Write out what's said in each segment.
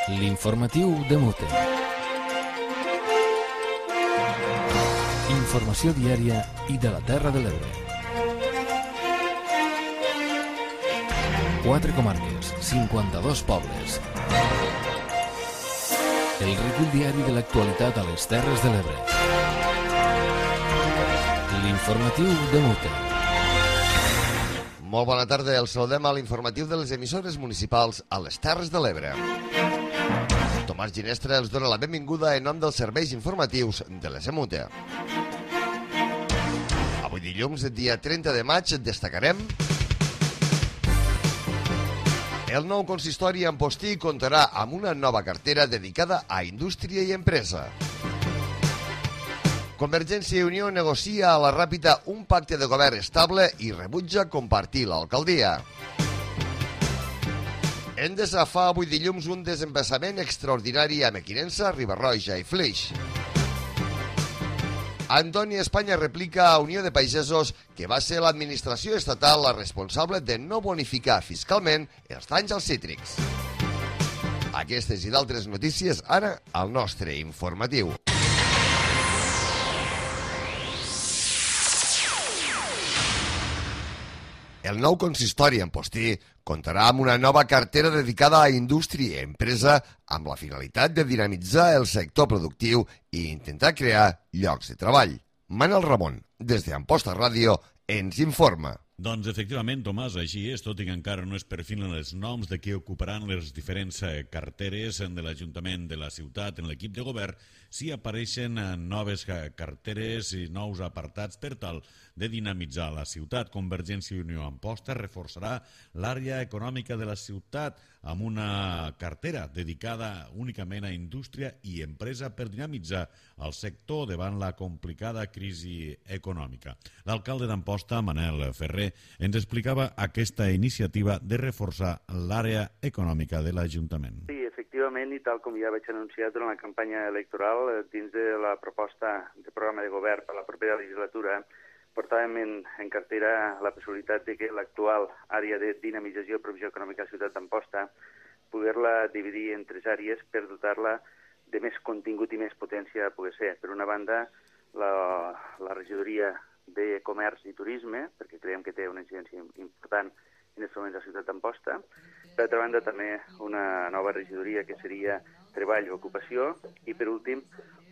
L'informatiu de Mute. Informació diària i de la Terra de l'Ebre. 4 comarques, 52 pobles. El recull diari de l'actualitat a les Terres de l'Ebre. L'informatiu de Mute. Molt bona tarda, els saludem a l'informatiu de les emissores municipals a les Terres de l'Ebre. Tomàs Ginestra els dona la benvinguda en nom dels serveis informatius de l'ESMUTE. Avui dilluns, dia 30 de maig, destacarem: el nou consistori Amposti comptarà amb una nova cartera dedicada a indústria i empresa. Convergència i Unió negocia a la Ràpita un pacte de govern estable i rebutja compartir l'alcaldia. Endesa fa avui dilluns un desembassament extraordinari a Mequinensa, Riba-roja i Flix. Antoni Espanya replica a Unió de Pagesos que va ser l'administració estatal la responsable de no bonificar fiscalment els danys als cítrics. Aquestes i d'altres notícies ara al nostre informatiu. El nou consistori Amposti comptarà amb una nova cartera dedicada a indústria i empresa amb la finalitat de dinamitzar el sector productiu i intentar crear llocs de treball. Manel Ramon, des d'Amposta Ràdio, ens informa. Doncs efectivament, Tomàs, així és, tot i que encara no es perfilen els noms de qui ocuparan les diferents carteres de l'Ajuntament de la ciutat en l'equip de govern, sí apareixen noves carteres i nous apartats per tal de dinamitzar la ciutat. Convergència i Unió Amposta reforçarà l'àrea econòmica de la ciutat amb una cartera dedicada únicament a indústria i empresa per dinamitzar el sector davant la complicada crisi econòmica. L'alcalde d'Amposta, Manel Ferrer, ens explicava aquesta iniciativa de reforçar l'àrea econòmica de l'Ajuntament. Sí, efectivament, i tal com ja vaig anunciar durant la campanya electoral, dins de la proposta de programa de govern per a la propera legislatura, portàvem en cartera la possibilitat de que l'actual àrea de dinamització i provisió econòmica de la ciutat d'Amposta poder-la dividir en 3 àrees per dotar-la de més contingut i més potència a poder ser. Per una banda, la regidoria de Comerç i Turisme, perquè creiem que té una incidència important en aquests moments a la ciutat d'Amposta. Per altra banda, també una nova regidoria que seria Treball i Ocupació. I, per últim,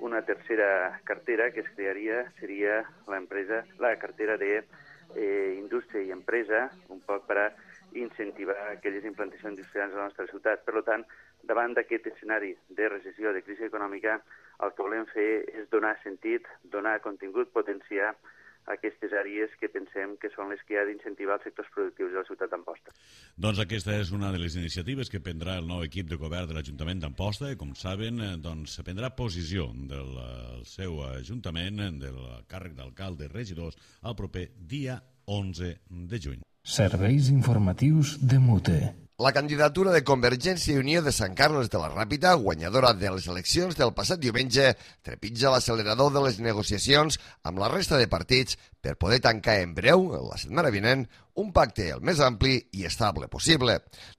una tercera cartera que es crearia seria la cartera d'Indústria i Empresa, un poc per incentivar aquelles implantacions industrials a la nostra ciutat. Per tant, davant d'aquest escenari de recessió, de crisi econòmica, el que volem fer és donar sentit, donar contingut, potenciar aquestes àrees que pensem que són les que ha d'incentivar els sectors productius de la ciutat d'Amposta. Doncs aquesta és una de les iniciatives que prendrà el nou equip de govern de l'Ajuntament d'Amposta i, com saben, doncs, prendrà posició del seu Ajuntament, del càrrec d'alcalde i regidors, el proper dia 11 de juny. Serveis informatius de Mute. La candidatura de Convergència i Unió de Sant Carles de la Ràpita, guanyadora de les eleccions del passat diumenge, trepitja l'accelerador de les negociacions amb la resta de partits per poder tancar en breu, la setmana vinent, un pacte el més ampli i estable possible.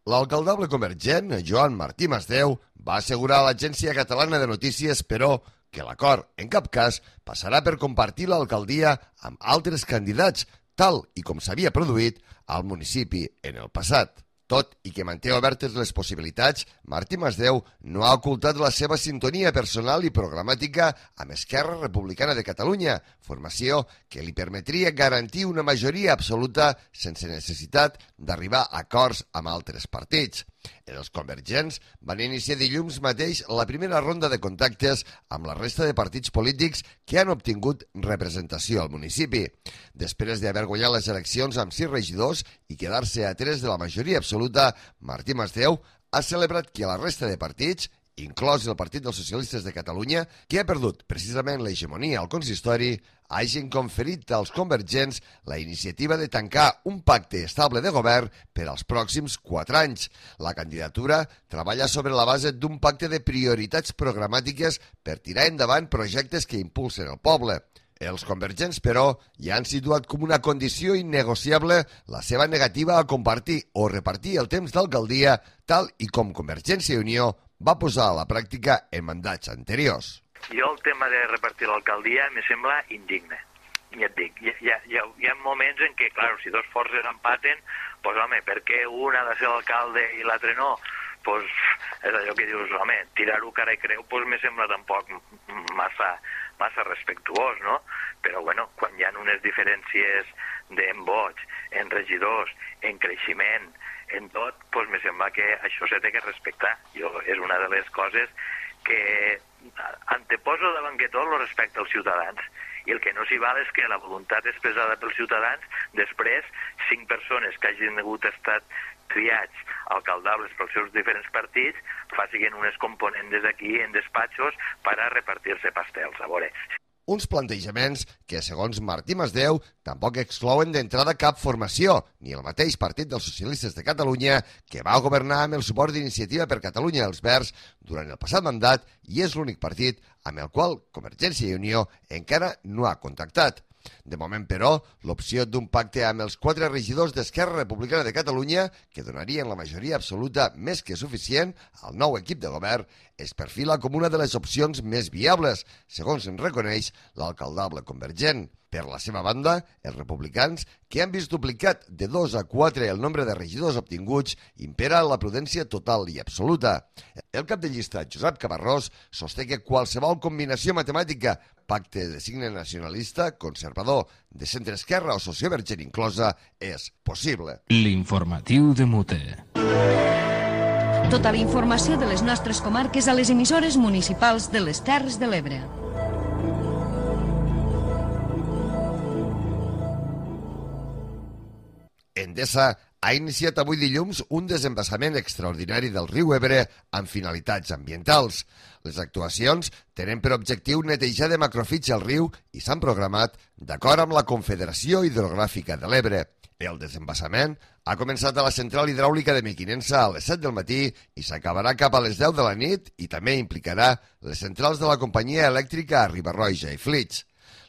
L'alcaldable convergent, Joan Martí Masdeu, va assegurar a l'Agència Catalana de Notícies, però, que l'acord, en cap cas, passarà per compartir l'alcaldia amb altres candidats, tal i com s'havia produït al municipi en el passat. Tot i que manté obertes les possibilitats, Martí Masdeu no ha ocultat la seva sintonia personal i programàtica amb Esquerra Republicana de Catalunya, formació que li permetria garantir una majoria absoluta sense necessitat d'arribar a acords amb altres partits. Els convergents van iniciar dilluns mateix la primera ronda de contactes amb la resta de partits polítics que han obtingut representació al municipi. Després d'haver guanyat les eleccions amb 6 regidors i quedar-se a 3 de la majoria absoluta, Martí Masdeu ha celebrat que la resta de partits, inclòs el Partit dels Socialistes de Catalunya, que ha perdut precisament l'hegemonia al consistori, hagin conferit als convergents la iniciativa de tancar un pacte estable de govern per als pròxims 4 anys. La candidatura treballa sobre la base d'un pacte de prioritats programàtiques per tirar endavant projectes que impulsen el poble. Els convergents, però, ja han situat com una condició innegociable la seva negativa a compartir o repartir el temps d'alcaldia, tal i com Convergència i Unió va posar a la pràctica en mandats anteriors. Jo el tema de repartir l'alcaldia me sembla indigne. Ja et dic, hi ha moments en què, clar, si dos forces empaten, doncs, home, per què un ha de ser l'alcalde i l'altre no? Doncs és allò que dius, home, tirar-ho cara i creu, doncs me sembla tampoc massa respectuós, no? Però, bueno, quan hi ha unes diferències en vots, en regidors, en creixement, en tot, doncs me sembla que això s'ha de respectar. És una de les coses que anteposo davant que tot el respecte als ciutadans. I el que no s'hi val és que la voluntat expressada pels ciutadans, després, 5 persones que hagin hagut estat triats alcaldables pels seus diferents partits, facin unes components aquí en despatxos per a repartir-se pastels. A veure, uns plantejaments que, segons Martí Masdeu, tampoc exclouen d'entrada cap formació, ni el mateix Partit dels Socialistes de Catalunya, que va governar amb el suport d'Iniciativa per Catalunya els Verds durant el passat mandat i és l'únic partit amb el qual Convergència i Unió encara no ha contactat. De moment, però, l'opció d'un pacte amb els 4 regidors d'Esquerra Republicana de Catalunya, que donarien la majoria absoluta més que suficient al nou equip de govern, es perfila com una de les opcions més viables, segons en reconeix l'alcaldable convergent. Per la seva banda, els republicans, que han vist duplicat de 2 a 4 el nombre de regidors obtinguts, impera la prudència total i absoluta. El cap de llista, Josep Cabarrós, sosté que qualsevol combinació matemàtica, pacte de signe nacionalista, conservador, de centre-esquerra o sociovergent inclosa, és possible. L'informatiu de Mute. Tota la informació de les nostres comarques a les emissores municipals de les Terres de l'Ebre. Endesa ha iniciat avui dilluns un desembassament extraordinari del riu Ebre amb finalitats ambientals. Les actuacions tenen per objectiu netejar de macrofits al riu i s'han programat d'acord amb la Confederació Hidrogràfica de l'Ebre. El desembassament ha començat a la central hidràulica de Mequinensa a les 7 del matí i s'acabarà cap a les 10 de la nit i també implicarà les centrals de la companyia elèctrica a Riba-roja i Flix.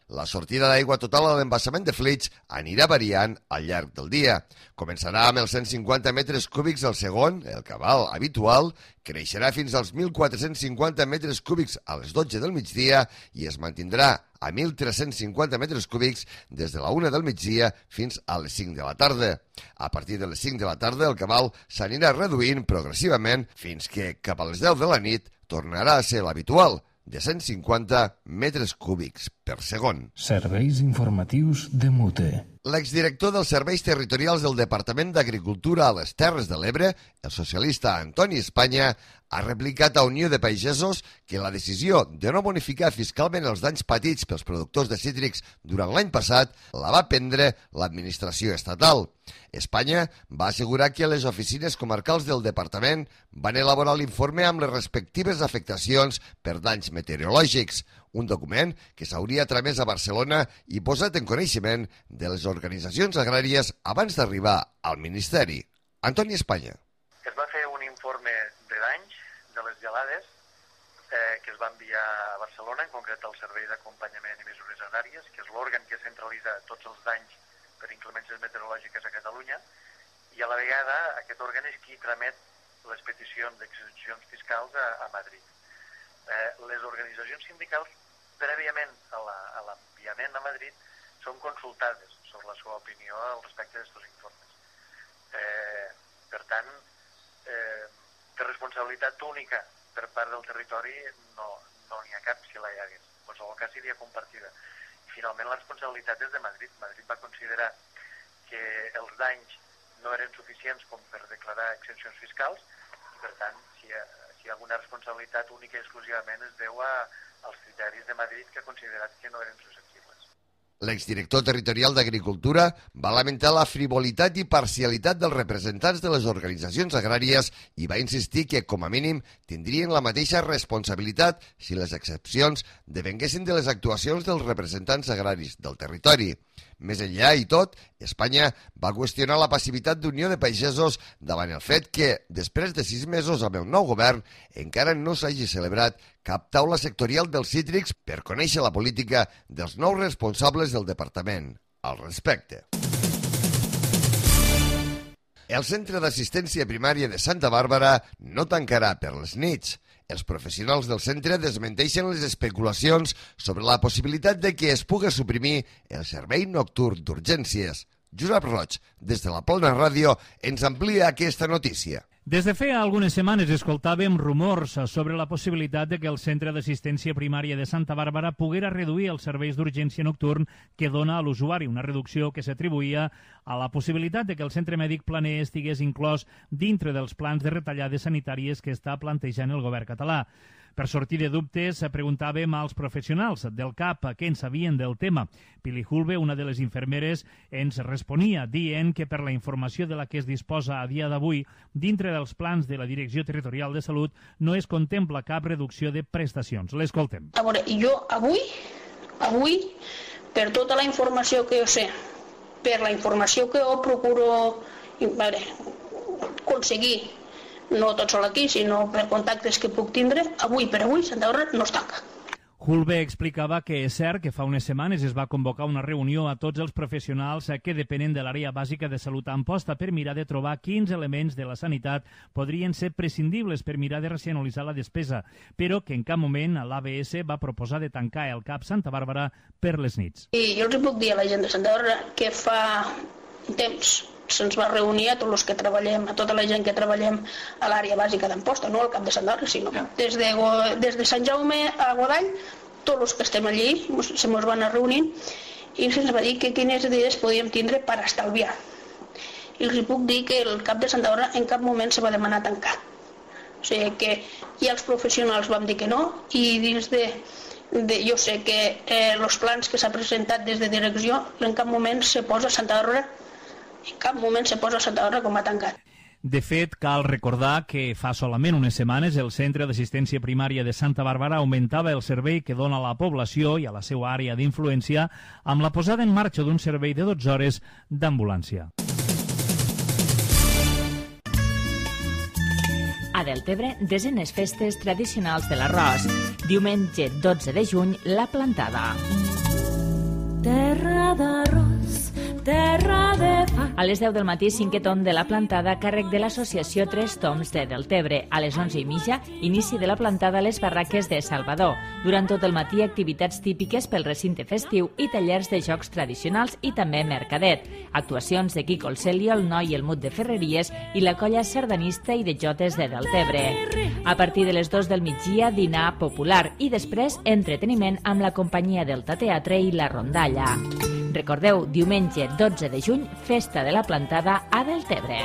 La sortida d'aigua total a l'embassament de Flix anirà variant al llarg del dia. Començarà amb els 150 metres cúbics al segon, el cabal habitual, creixerà fins als 1.450 metres cúbics a les 12 del migdia i es mantindrà a 1.350 metres cúbics des de la 1 del migdia fins a les 5 de la tarda. A partir de les 5 de la tarda el cabal s'anirà reduint progressivament fins que cap a les 10 de la nit tornarà a ser l'habitual, de 150 metres cúbics per segon. Serveis informatius de Mute. L'exdirector dels Serveis Territorials del Departament d'Agricultura a les Terres de l'Ebre, el socialista Antoni Espanya, ha replicat a Unió de Pagesos que la decisió de no bonificar fiscalment els danys patits pels productors de cítrics durant l'any passat la va prendre l'administració estatal. Espanya va assegurar que les oficines comarcals del departament van elaborar l'informe amb les respectives afectacions per danys meteorològics, un document que s'hauria tramès a Barcelona i posat en coneixement de les organitzacions agràries abans d'arribar al Ministeri. Antoni Espanya. Es va fer un informe de danys de les gelades que es va enviar a Barcelona, en concret al Servei d'Acompanyament i Mesures Agràries, que és l'òrgan que centralitza tots els danys per inclemències meteorològiques a Catalunya, i a la vegada aquest òrgan és qui tramet les peticions d'exempcions fiscals a Madrid. Les organitzacions sindicals, prèviament a l'enviament a Madrid, són consultades sobre la seva opinió al respecte d'aquests informes. Per tant, de responsabilitat única per part del territori no n'hi ha cap si la hi hagués. En qualsevol cas seria compartida. I finalment la responsabilitat és de Madrid. Madrid va considerar que els danys no eren suficients com per declarar exempcions fiscals i, per tant, si hi ha alguna responsabilitat única i exclusivament es deu als criteris de Madrid que ha considerat que no eren susceptibles. L'exdirector territorial d'Agricultura va lamentar la frivolitat i parcialitat dels representants de les organitzacions agràries i va insistir que, com a mínim, tindrien la mateixa responsabilitat si les excepcions devenguessin de les actuacions dels representants agraris del territori. Més enllà i tot, Espanya va qüestionar la passivitat d'Unió de Pagesos davant el fet que, després de 6 mesos amb el nou govern, encara no s'hagi celebrat cap taula sectorial dels cítrics per conèixer la política dels nous responsables del departament al respecte. El Centre d'Assistència Primària de Santa Bàrbara no tancarà per les nits. Els professionals del centre desmenteixen les especulacions sobre la possibilitat de que es pugui suprimir el servei nocturn d'urgències. Josep Roig, des de la Plana Ràdio, ens amplia aquesta notícia. Des de feia algunes setmanes escoltàvem rumors sobre la possibilitat de que el Centre d'Assistència Primària de Santa Bàrbara poguera reduir els serveis d'urgència nocturn que dona a l'usuari, una reducció que s'atribuïa a la possibilitat de que el centre mèdic planer estigués inclòs dintre dels plans de retallades sanitàries que està plantejant el govern català. Per sortir de dubtes, preguntàvem als professionals del CAP què en sabien del tema. Pili Hulbe, una de les infermeres, ens responia dient que per la informació de la que es disposa a dia d'avui, dintre dels plans de la Direcció Territorial de Salut no es contempla cap reducció de prestacions. L'escoltem. A veure, jo avui, per tota la informació que jo sé, per la informació que jo procuro aconseguir, no tot sol aquí, sinó per contactes que puc tindre, avui per avui Santa Bàrbara no es tanca. Hulbe explicava que és cert que fa unes setmanes es va convocar una reunió a tots els professionals que depenen de l'àrea bàsica de salut a Amposta per mirar de trobar quins elements de la sanitat podrien ser prescindibles per mirar de racionalitzar la despesa, però que en cap moment l'ABS va proposar de tancar el CAP Santa Bàrbara per les nits. I jo els puc dir a la gent de Santa Bàrbara que fa temps se'ns va reunir a tots els que treballem, a tota la gent que treballem a l'àrea bàsica d'Amposta, no al cap de Sant Bàrbara, sinó des de Sant Jaume a Godall, tots els que estem allí se mos van a reunir i se'ns va dir que quines idees podíem tindre per estalviar. I els puc dir que el cap de Santa Bàrbara en cap moment se va demanar tancar. O sigui que ja els professionals vam dir que no i dins jo sé que els plans que s'ha presentat des de direcció en cap moment se posa Santa Bàrbara com a tancat. De fet, cal recordar que fa solament unes setmanes el Centre d'Assistència Primària de Santa Bàrbara augmentava el servei que dona a la població i a la seva àrea d'influència amb la posada en marxa d'un servei de 12 hores d'ambulància. A Deltebre, desenes festes tradicionals de l'arròs. Diumenge 12 de juny, la plantada. Terra d'arròs, terra de pa. A les 10 del matí, 5è torn de la plantada a càrrec de l'associació Tres Toms de Deltebre. A les 11:30, inici de la plantada a les barraques de Salvador. Durant tot el matí, activitats típiques pel recinte festiu i tallers de jocs tradicionals i també mercadet. Actuacions de Quico el Celio, el Noi i el Mut de Ferreries i la colla sardanista i de jotes de Deltebre. A partir de les 2 del migdia, dinar popular i després entreteniment amb la companyia del Teatre i la Rondalla. Recordeu, diumenge 12 de juny, festa de la plantada a Deltebre.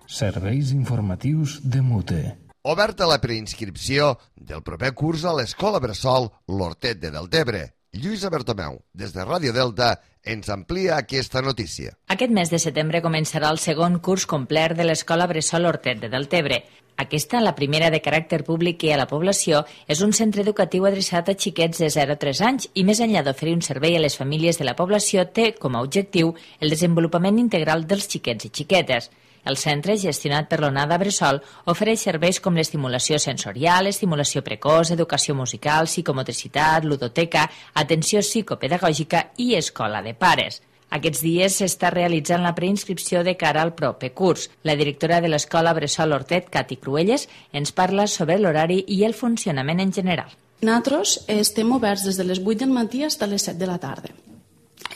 Serveis informatius de Mute. Oberta la preinscripció del proper curs a l'Escola Bressol L'Hortet de Deltebre. Lluïsa Bertomeu, des de Ràdio Delta, ens amplia aquesta notícia. Aquest mes de setembre començarà el segon curs complet de l'Escola Bressol Hortet de Deltebre. Aquesta, la primera de caràcter públic que hi ha a la població, és un centre educatiu adreçat a xiquets de 0 a 3 anys i més enllà d'oferir un servei a les famílies de la població té com a objectiu el desenvolupament integral dels xiquets i xiquetes. El centre, gestionat per l'Onada Bressol, ofereix serveis com l'estimulació sensorial, estimulació precoç, educació musical, psicomotricitat, ludoteca, atenció psicopedagògica i escola de pares. Aquests dies s'està realitzant la preinscripció de cara al proper curs. La directora de l'Escola Bressol Hortet, Cati Cruelles, ens parla sobre l'horari i el funcionament en general. Nosaltres estem oberts des de les 8 del matí fins a les 7 de la tarda.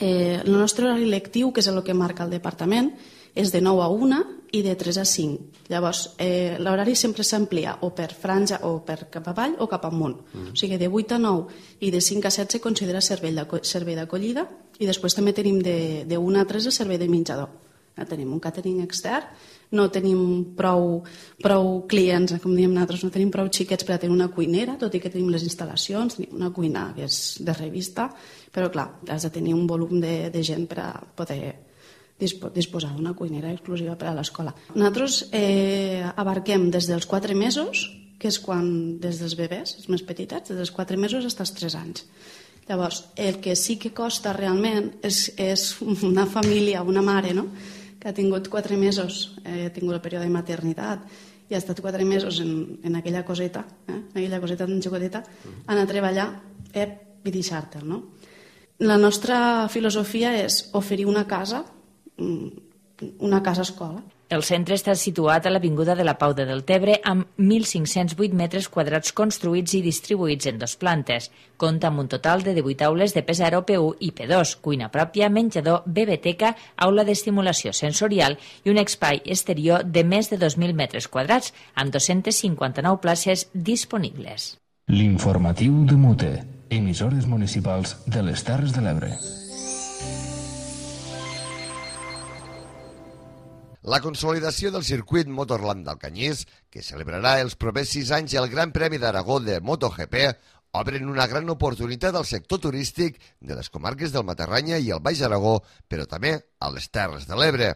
El nostre horari lectiu, que és el que marca el departament, és de 9 a 1 i de 3 a 5. Llavors, l'horari sempre s'amplia o per franja o per cap avall o cap amunt. O sigui, de 8 a 9 i de 5 a 7 se considera servei d'acollida i després també tenim de 1 a 3 el servei de menjador. Tenim un càtering extern, no tenim prou clients, com diem nosaltres, no tenim prou xiquets per a tenir una cuinera, tot i que tenim les instal·lacions, tenim una cuina que és de revista, però clar, has de tenir un volum de gent per a poder disposar d'una cuinera exclusiva per a l'escola. Nosaltres abarquem des dels 4 mesos, que és quan des dels bebès, els més petitets, des dels 4 mesos fins als 3 anys. Llavors, el que sí que costa realment és una família, una mare, no?, que ha tingut 4 mesos, ha tingut el període de maternitat i ha estat 4 mesos en aquella coseta, aquella coseta tan xicoteta, anar a treballar i deixar-te'l, no? La nostra filosofia és oferir una casa una casa escola. El centre està situat a l'Avinguda de la Pau de Deltebre amb 1.508 metres quadrats construïts i distribuïts en 2 plantes. Compta amb un total de 18 aules de P0, P1 i P2, cuina pròpia, menjador, biblioteca, aula d'estimulació sensorial i un espai exterior de més de 2.000 metres quadrats amb 259 places disponibles. L'informatiu de Mute, emissores municipals de les Terres de l'Ebre. La consolidació del circuit Motorland d'Alcanyís, que celebrarà els propers 6 anys el Gran Premi d'Aragó de MotoGP, obren una gran oportunitat al sector turístic de les comarques del Matarranya i el Baix Aragó, però també a les Terres de l'Ebre.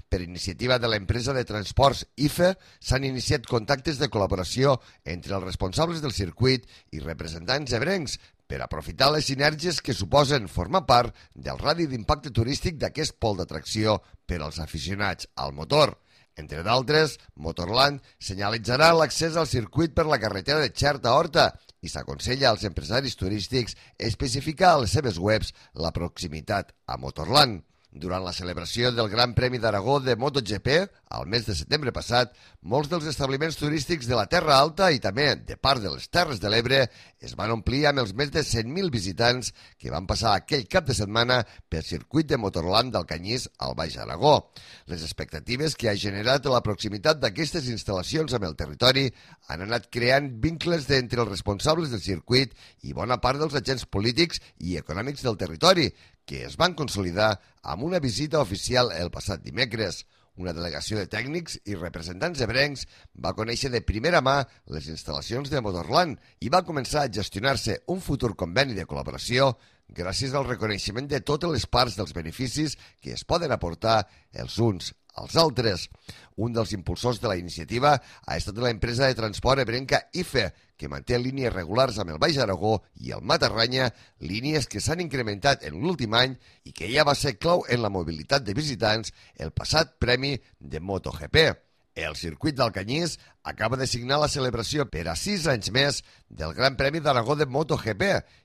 Per iniciativa de l'empresa de transports IFE, s'han iniciat contactes de col·laboració entre els responsables del circuit i representants ebrencs per aprofitar les sinergies que suposen formar part del radi d'impacte turístic d'aquest pol d'atracció per als aficionats al motor. Entre d'altres, Motorland senyalitzarà l'accés al circuit per la carretera de Xert a Horta i s'aconsella als empresaris turístics especificar a les seves webs la proximitat a Motorland. Durant la celebració del Gran Premi d'Aragó de MotoGP, al mes de setembre passat, molts dels establiments turístics de la Terra Alta i també de part de les Terres de l'Ebre es van omplir amb els més de 100.000 visitants que van passar aquell cap de setmana pel circuit de Motorland d'Alcanyís al Baix Aragó. Les expectatives que ha generat la proximitat d'aquestes instal·lacions amb el territori han anat creant vincles entre els responsables del circuit i bona part dels agents polítics i econòmics del territori, que es van consolidar amb una visita oficial el passat dimecres. Una delegació de tècnics i representants ebrencs va conèixer de primera mà les instal·lacions de Motorland i va començar a gestionar-se un futur conveni de col·laboració gràcies al reconeixement de totes les parts dels beneficis que es poden aportar els uns als altres. Un dels impulsors de la iniciativa ha estat l'empresa de transport ebrenca IFE, que manté línies regulars amb el Baix Aragó i el Matarranya, línies que s'han incrementat en l'últim any i que ja va ser clau en la mobilitat de visitants el passat Premi de MotoGP. El circuit d'Alcanyís acaba de signar la celebració per a 6 anys més del Gran Premi d'Aragó de MotoGP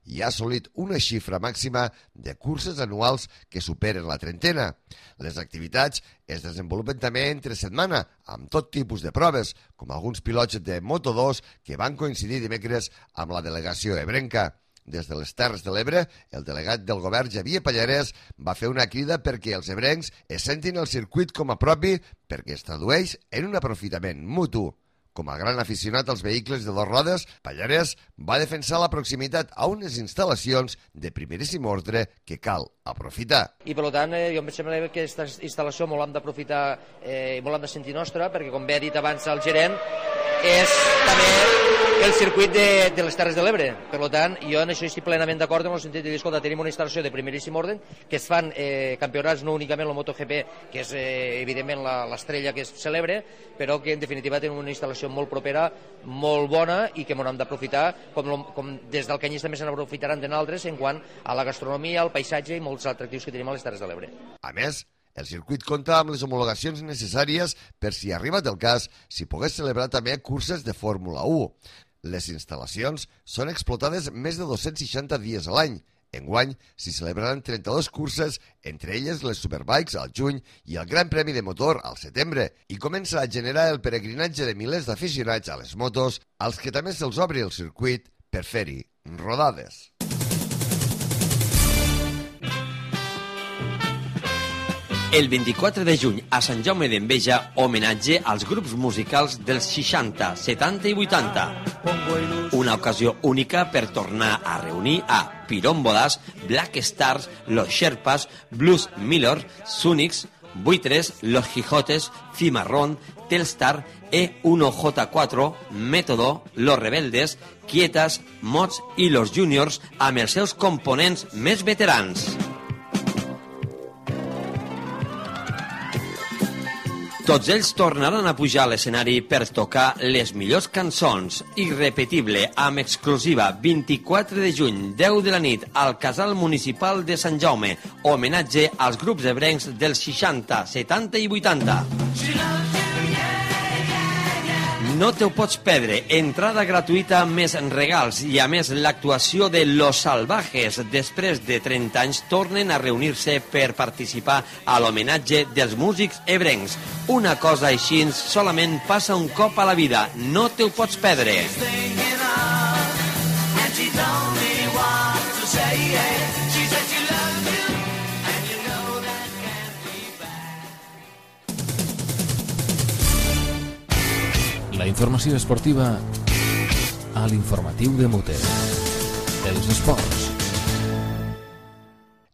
i ha assolit una xifra màxima de curses anuals que superen la trentena. Les activitats es desenvolupen també entre setmana, amb tot tipus de proves, com alguns pilots de Moto2 que van coincidir dimecres amb la delegació ebrenca. Des de les Terres de l'Ebre, el delegat del govern Xavier Pallarès va fer una crida perquè els ebrencs es sentin el circuit com a propi perquè es tradueix en un aprofitament mutu. Com a gran aficionat als vehicles de 2 rodes, Pallarès va defensar la proximitat a unes instal·lacions de primeríssim ordre que cal aprofitar. I per tant, jo em sembla que aquesta instal·lació molt l'hem d'aprofitar i molt l'hem de sentir nostra, perquè com bé ha dit abans el gerent, és també el circuit de les Terres de l'Ebre. Per tant, jo en això estic plenament d'acord en el sentit de dir, escolta, tenim una instal·lació de primeríssim ordre, que es fan campionats no únicament el MotoGP, que és evidentment l'estrella que es celebra, però que en definitiva tenim una instal·lació molt propera, molt bona i que hem d'aprofitar, com des d'Alcanyís també se n'aprofitaran d'altres en quant a la gastronomia, al paisatge i molts atractius que tenim a les Terres de l'Ebre. A més, el circuit compta amb les homologacions necessàries per si arribat el cas, s'hi pogués celebrar també curses de Fórmula 1. Les instal·lacions són explotades més de 260 dies a l'any. Enguany s'hi celebraran 32 curses, entre elles les Superbikes al juny i el Gran Premi de Motor al setembre, i comença a generar el peregrinatge de milers d'aficionats a les motos, als que també se'ls obri el circuit per fer-hi rodades. El 24 de juny a Sant Jaume d'Enveja, homenatge als grups musicals dels 60, 70 i 80. Una ocasió única per tornar a reunir a Pirómbolas, Black Stars, Los Sherpas, Blues Miller, Sunics, Buitres, Los Quijotes, Cimarrón, Telstar, E1J4, Método, Los Rebeldes, Quietas, Mods i Los Juniors amb els seus components més veterans. Tots ells tornaran a pujar a l'escenari per tocar les millors cançons. Irrepetible, amb exclusiva, 24 de juny, 10 de la nit, al Casal Municipal de Sant Jaume. Homenatge als grups ebrencs dels 60, 70 i 80. No te ho pots perdre. Entrada gratuïta més regals i a més l'actuació de Los Salvajes. Després de 30 anys tornen a reunir-se per participar a l'homenatge dels músics ebrencs. Una cosa així solament passa un cop a la vida. No te ho pots perdre. La informació esportiva a l'informatiu de Mute. Els esports.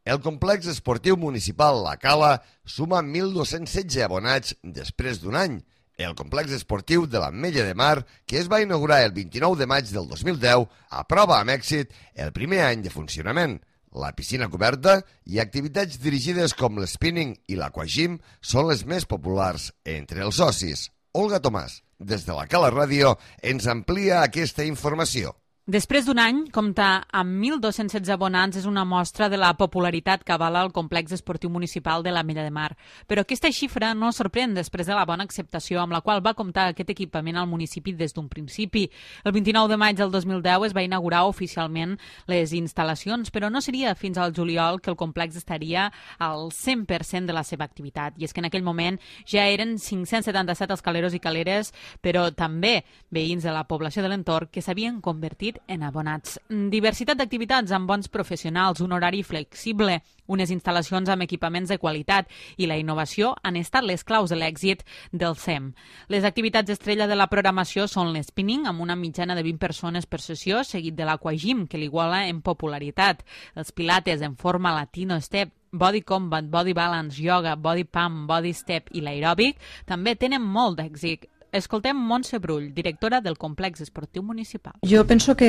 El complex esportiu municipal La Cala suma 1.216 abonats després d'un any. El complex esportiu de l'Ametlla de Mar, que es va inaugurar el 29 de maig del 2010, aprova amb èxit el primer any de funcionament. La piscina coberta i activitats dirigides com l'spinning i l'aquagym són les més populars entre els socis. Olga Tomàs, des de La Cala Ràdio, ens amplia aquesta informació. Després d'un any, comptar amb 1.216 abonats és una mostra de la popularitat que avala el complex esportiu municipal de l'Ametlla de Mar. Però aquesta xifra no sorprèn després de la bona acceptació amb la qual va comptar aquest equipament al municipi des d'un principi. El 29 de maig del 2010 es va inaugurar oficialment les instal·lacions, però no seria fins al juliol que el complex estaria al 100% de la seva activitat. I és que en aquell moment ja eren 577 els caleros i caleres, però també veïns de la població de l'entorn que s'havien convertit en abonats. Diversitat d'activitats amb bons professionals, un horari flexible, unes instal·lacions amb equipaments de qualitat i la innovació han estat les claus de l'èxit del SEM. Les activitats estrella de la programació són l'spinning, amb una mitjana de 20 persones per sessió, seguit de l'aquagym, que l'iguala en popularitat, els pilates en forma latino step, body combat, body balance, yoga, body pump, body step i l'aeròbic també tenen molt d'èxit. Escoltem Montse Brull, directora del complex esportiu municipal. Jo penso que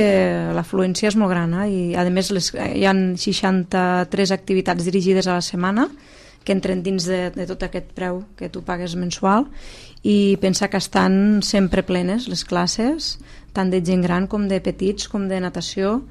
l'afluència és molt gran i a més hi ha 63 activitats dirigides a la setmana que entren dins de tot aquest preu que tu pagues mensual i pensa que estan sempre plenes les classes, tant de gent gran com de petits, com de natació,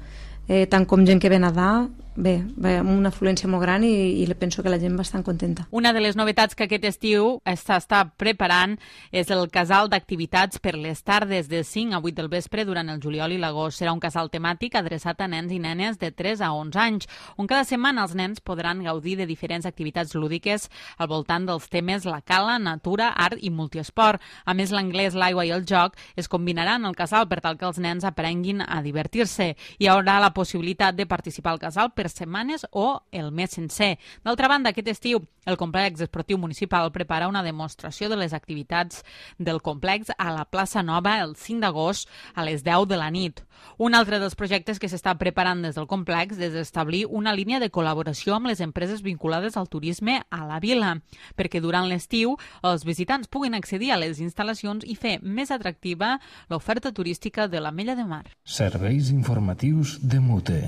tant com gent que ve a nedar. Bé, amb una afluència molt gran i penso que la gent va bastant contenta. Una de les novetats que aquest estiu s'està preparant és el casal d'activitats per les tardes de 5 a 8 del vespre durant el juliol i l'agost. Serà un casal temàtic adreçat a nens i nenes de 3 a 11 anys, on cada setmana els nens podran gaudir de diferents activitats lúdiques al voltant dels temes la cala, natura, art i multiesport. A més, l'anglès, l'aigua i el joc es combinaran al casal per tal que els nens aprenguin a divertir-se. Hi haurà la possibilitat de participar al casal per setmanes o el mes sencer. D'altra banda, aquest estiu el complex esportiu municipal prepara una demostració de les activitats del complex a la plaça Nova el 5 d'agost a les 10 de la nit. Un altre dels projectes que s'està preparant des del complex és establir una línia de col·laboració amb les empreses vinculades al turisme a la vila, perquè durant l'estiu els visitants puguin accedir a les instal·lacions i fer més atractiva l'oferta turística de l'Ametlla de Mar. Serveis informatius de Mute.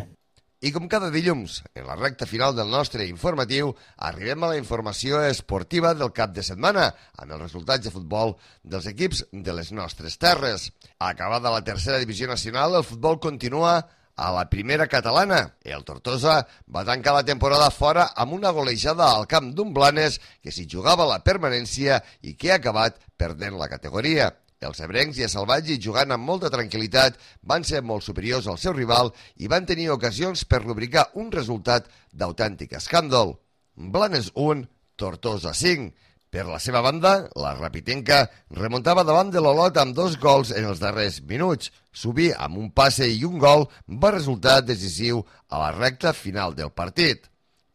I com cada dilluns, en la recta final del nostre informatiu, arribem a la informació esportiva del cap de setmana, amb els resultats de futbol dels equips de les nostres terres. Acabada la tercera divisió nacional, el futbol continua a la primera catalana. El Tortosa va tancar la temporada fora amb una golejada al camp d'un Blanes que s'hi jugava la permanència i que ha acabat perdent la categoria. Els ebrencs i els salvatges, jugant amb molta tranquil·litat, van ser molt superiors al seu rival i van tenir ocasions per rubricar un resultat d'autèntic escàndol. Blanes 1, Tortosa 5. Per la seva banda, la Rapitenca remuntava davant de l'Olot amb 2 gols en els darrers minuts. Subí amb un passe i un gol va resultar decisiu a la recta final del partit.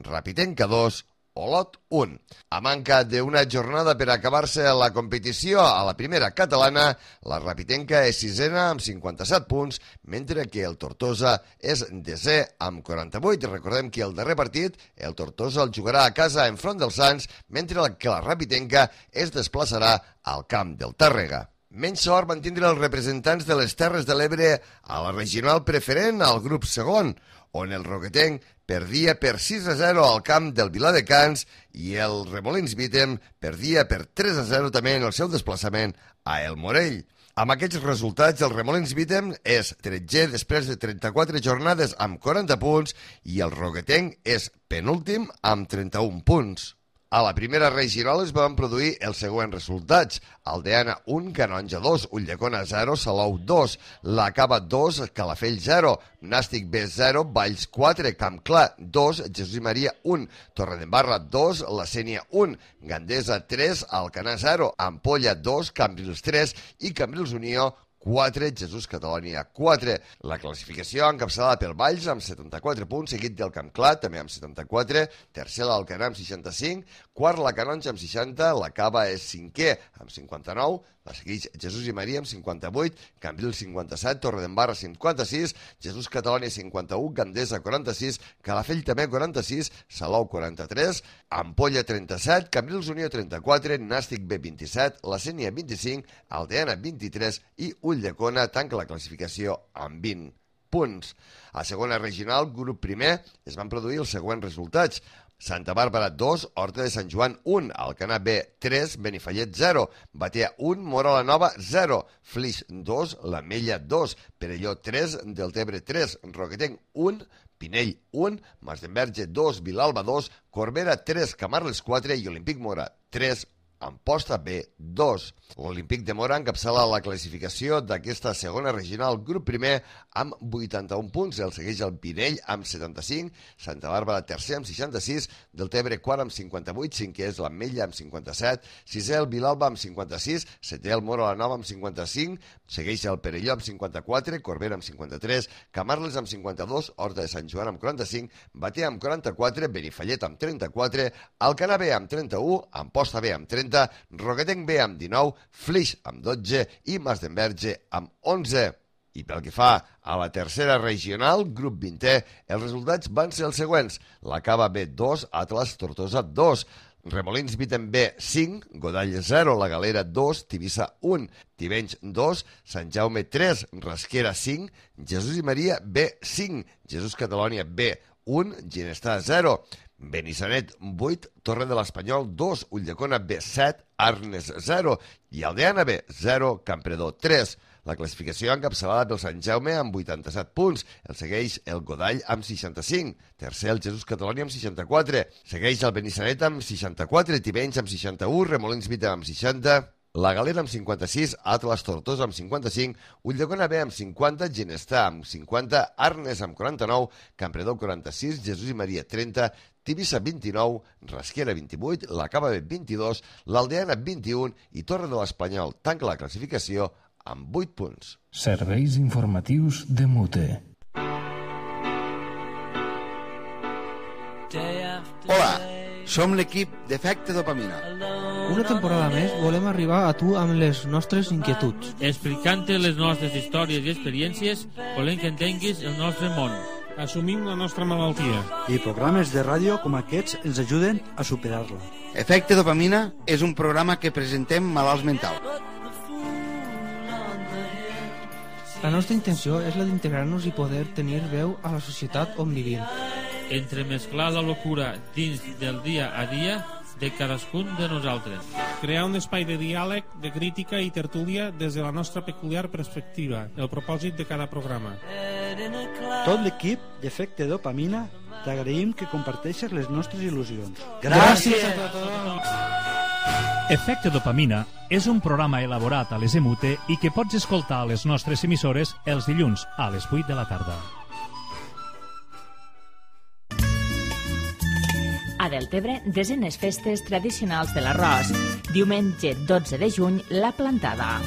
Rapitenca 2, Olot 1. A manca d'una jornada per acabar-se la competició a la primera catalana, la Rapitenca és sisena amb 57 punts, mentre que el Tortosa és desè amb 48. Recordem que el darrer partit, el Tortosa el jugarà a casa enfront dels Sants, mentre que la Rapitenca es desplaçarà al camp del Tàrrega. Menys sort van tindre els representants de les Terres de l'Ebre a la regional preferent al grup segon, on el Roquetenc perdia per 6-0 al camp del Viladecans i el Remolins Vítem perdia per 3-0 també en el seu desplaçament a El Morell. Amb aquests resultats, el Remolins Vítem és 13è després de 34 jornades amb 40 punts i el Roquetenc és penúltim amb 31 punts. A la primera regional es van produir els següents resultats. Aldeana 1, Canonja 2, Ulldecona 0, Salou 2, La Cava 2, Calafell 0, Nàstic B 0, Valls 4, Campclar 2, Jesús i Maria 1, Torredembarra 2, La Sénia 1, Gandesa 3, Alcanar 0, Ampolla 2, Cambrils 3 i Cambrils Unió 4, Jesús Catalònia 4. La classificació encapçalada pel Valls amb 74 punts, seguit del Campclar, també amb 74, tercer l'Alcanar amb 65, quart la Canonja amb 60, la Cava és cinquè amb 59, la segueix Jesús i Maria amb 58, Cambrils 57, Torredembarra 56, Jesús Catalònia 51, Gandesa 46, Calafell també 46, Salou 43, Ampolla 37, Cambrils Unió 34, Nàstic B 27, La Sénia 25, Aldeana 23 i Ulldecona tanca la classificació amb 20 punts. A segona regional, grup primer, es van produir els següents resultats. Santa Bàrbara 2, Horta de Sant Joan 1, Alcanar B 3, Benifallet 0, Batea 1, Móra la Nova 0, Flix 2, l'Ametlla 2, Perelló 3, Deltebre 3, Roquetenc 1, Pinell 1, Masdenverge 2, Vilalba 2, Corbera 3, Camarles 4 i Olímpic Mora 3, Amposta B 2. L'Olímpic de Mora encapçala la classificació d'aquesta segona regional grup primer amb 81 punts. El segueix el Pinell amb 75, Santa Bàrbara tercer amb 66, Deltebre quart amb 58, cinquè és l'Ametlla amb 57, sisè el Vilalba amb 56, setè el Móra la Nova amb 55, segueix el Perelló amb 54, Corbera amb 53, Camarles amb 52, Horta de Sant Joan amb 45, Batea amb 44, Benifallet amb 34, Alcanar B amb 31, Amposta B amb 30, Roquetenc B amb 19, Flix amb 12 i Masdenverge amb 11. I pel que fa a la tercera regional, grup 20è, els resultats van ser els següents. La Cava B 2, Atlas Tortosa 2, Remolins Viten B 5, Godall 0, La Galera 2, Tivissa 1, Tivenys 2, Sant Jaume 3, Rasquera 5, Jesús i Maria B 5, Jesús Catalònia B 1, Ginestar 0, Benissanet 8, Torre de l'Espanyol 2, Ulldecona B 7, Arnes 0 i Aldeana B 0, Campredó 3. La classificació encapçalada pel Sant Jaume amb 87 punts. El segueix el Godall amb 65. Tercer el Jesús Catalònia amb 64. Segueix el Benissanet amb 64, Tivenys amb 61, Remolins Vita amb 60, La Galera amb 56, Atlas Tortosa amb 55, Ulldecona B amb 50, Ginestar amb 50, Arnes amb 49, Campredó 46, Jesús i Maria 30, Tivissa 29, Rasquera 28, la Cava B 22, l'Aldeana 21 i Torre de l'Espanyol tanca la classificació amb 8 punts. Serveis informatius de Mute. Hola, som l'equip d'Efecte Dopamina. Una temporada més volem arribar a tu amb les nostres inquietuds. Explicant-te les nostres històries i experiències, volem que entenguis el nostre món. Assumim la nostra malaltia. I programes de ràdio com aquests ens ajuden a superar-la. Efecte Dopamina és un programa que presentem malalts mentals. La nostra intenció és la d'integrar-nos i poder tenir veu a la societat on vivim. Entremesclar la locura dins del dia a dia de cadascun de nosaltres. Crear un espai de diàleg, de crítica i tertúlia des de la nostra peculiar perspectiva, el propòsit de cada programa. Tot l'equip d'Efecte Dopamina t'agraïm que comparteixes les nostres il·lusions. Gràcies a tothom! Efecte Dopamina és un programa elaborat a les EMUTE i que pots escoltar a les nostres emissores els dilluns a les 8 de la tarda. A Deltebre, desenes festes tradicionals de l'arròs. Diumenge 12 de juny, la plantada.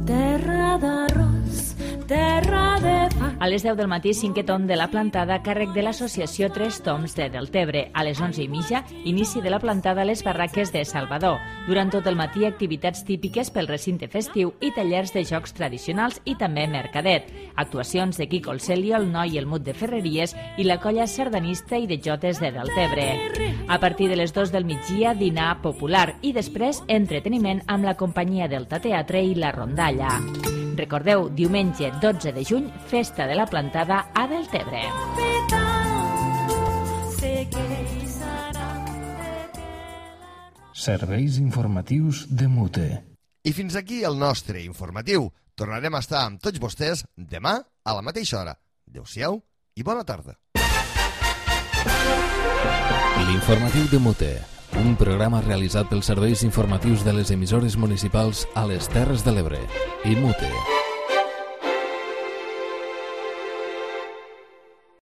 Terra d'arròs, terra de pa. A les 10 del matí, 5è tom de la plantada, càrrec de l'associació Tres Toms de Deltebre. A les 11:30, inici de la plantada a les barraques de Salvador. Durant tot el matí, activitats típiques pel recinte festiu i tallers de jocs tradicionals i també mercadet. Actuacions de Quico el Celio, el Noi i el Mut de Ferreries i la colla sardanista i de jotes de Deltebre. A partir de les 2 del migdia, dinar popular i després entreteniment amb la companyia Delta Teatre i la Rondalla. Recordeu, diumenge 12 de juny, festa de la plantada a Deltebre. Serveis informatius de Mute. I fins aquí el nostre informatiu. Tornarem a estar amb tots vostès demà a la mateixa hora. Adéu-siau i bona tarda. L'informatiu de Mute, un programa realitzat pels serveis informatius de les emissores municipals a les Terres de l'Ebre i Mute.